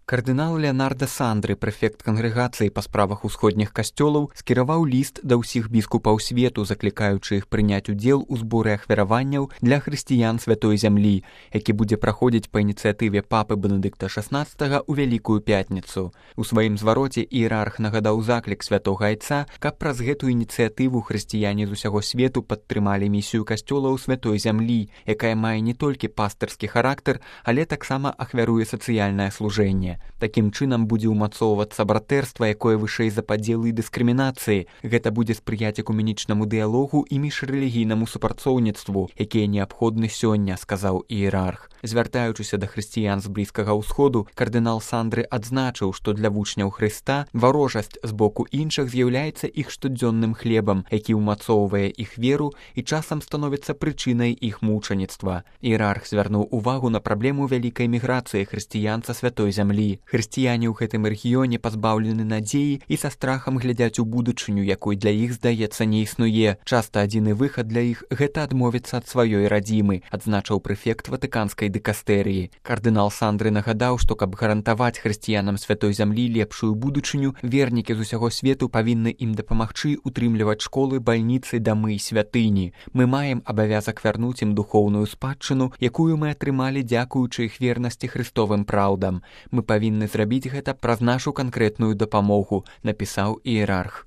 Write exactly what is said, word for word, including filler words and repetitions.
Кардынал Леонардо Сандры, прэфект кангрэгацыі па справах усходніх касцёлаў, скіраваў ліст да ўсіх біскупаў свету, заклікаючы іх прыняць удзел у зборы ахвяраванняў для хрысціян святой зямлі, які будзе праходзіць па ініцыятыве папы Бенедыкта шаснаццатага ў Вялікую пятніцу. У сваім звароце іерарх нагадаў заклік святога айца, каб праз гэту ініцыятыву хрысціяне з усяго свету падтрымалі місію касцёлаў святой зямлі, якая мае не толькі пастырскі характар, але таксама ахвяруе сацыяльнае служэнне. Такім чынам будзе ўмацоўвацца братэрства, якое вышэй за падзелы і дыскрымінацыі. Гэта будзе спрыяць экуменічнаму дыялогу і міжрэлігійнаму супрацоўніцтву, якія неабходны сёння, сказаў іерарх. Звяртаючыся да хрысціян з Блізкага ўсходу, кардынал Сандры адзначыў, што для вучняў Хрыста варожасць з боку іншых з'яўляецца іх штодзённым хлебам, які ўмацоўвае іх веру і часам становіцца прычынай іх мучаніцтва. Іерарх звярнуў увагу на праблему вялікай міграцыі хрысціян са святой зямлі. Хрысціяне ў гэтым рэгіёне пазбаўлены надзеі і са страхам глядзяць у будучыню, якой для іх, здаецца, не існуе. Часта адзіны выхад для іх – гэта адмовіцца ад сваёй радзімы, адзначыў прэфект ватыканскай дыкастэрыі. Кардынал Сандры нагадаў, што каб гарантаваць хрысціянам святой зямлі лепшую будучыню, вернікі з усяго свету павінны ім дапамагчы утрымліваць школы, бальніцы, дамы і святыні. Мы маем абавязак вярнуць ім духоўную спадчыну, якую мы атрымалі дзякуючы іх вернасці хрыстовым праўдам. Мы павінны зрабіць гэта праз нашу канкрэтную дапамогу, напісаў іерарх.